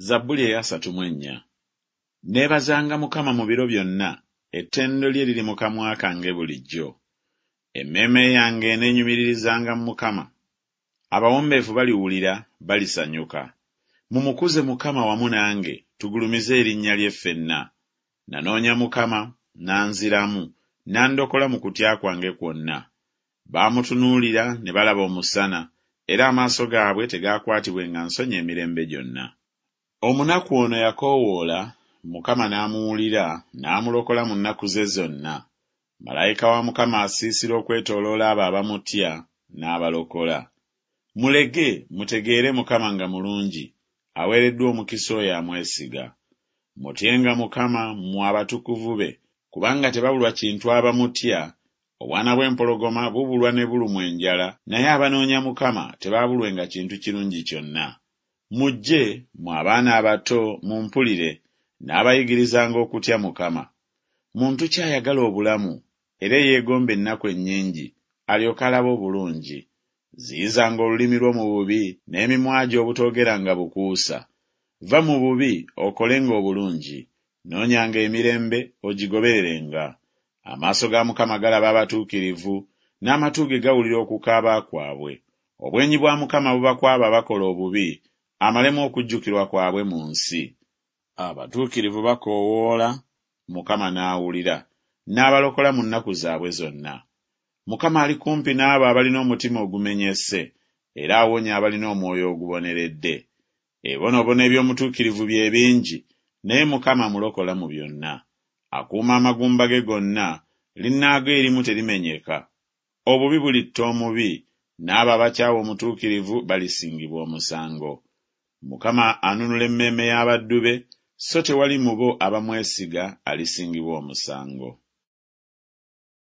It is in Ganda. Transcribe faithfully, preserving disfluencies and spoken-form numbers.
Zabbuli ey'asatu mu ennya. Neebazanga Mukama mu biro byonna, ettendo lye liri mu kamwa kange bulijjo. Emmeeme yange eneenyumiririzanga mu Mukama. Abawombeefu baliwulira, balisanyuka. Mumukuze Mukama wamu nange, tugulumize erinnya lye ffenna. Nanoonya Mukama, n'anziramu, n'andokola mu kutya kwange kwonna. Baamutunuulira ne balaba omusana, era amaaso gaabwe tegaakwatibwenga nsonyi emirembe gyonna. Omunaku ono yakoowoola, Mukama n'amuwulira, n'amulokola mu nnaku ze zonna. Malayika wa Mukama asiisira okwetooloola abo abamutya, n'abalokola. Mulege, mutegeere Mukama nga mulungi, aweereddwa omukisa oyo amwesiga. Mutyenga Mukama mmwe abatukuvu be, kubanga tebabulwa kintu abamutya. Obwana bw'empologoma bubulwa ne bulumwa enjala, naye abanoonya Mukama tebaabulwenga kintu kirungi kyonna. Mujje, mmwe abaana abato, mumpulire, n'abayigirizanga okutya Mukama. Muntu ki ayagala obulamu, era eyeegomba ennaku ennyingi, alyoke alabe obulungi? Ziyizanga olulimi lwo mu bubi, n'emimwa gyo obutoogeranga bukuusa. Va mu bubi, okolenga obulungi, noonyanga emirembe, ogigobererenga. Amaaso ga Mukama galaba abatuukirivu, n'amatu ge gawulira okukaaba kwabwe. Obwenyi bwa Mukama buba ku abo abakola obubi, amalemu okujjukirwa kwabwe mu nsi. Abatuukirivu bakoowoola, Mukama n'awulira, n'abalokola mu nnaku zaabwe zonna. Mukama ali kumpi n'abo abalina omutima ogumenyese, era awonya abalina omwoyo oguboneredde. Ebibonoobono eby'omutuukirivu bye bingi, naye Mukama amulokola mu byonna. Akuuma amagumba ge gonna, linnaago erimu terimenyeka. Obubi bulitta omubi, n'abo abakyawa omutuukirivu balisingibwa omusango. Mukama anunula emmeeme y'abaddu be, so tewali mu bo abamwesiga alisingibwa omusango.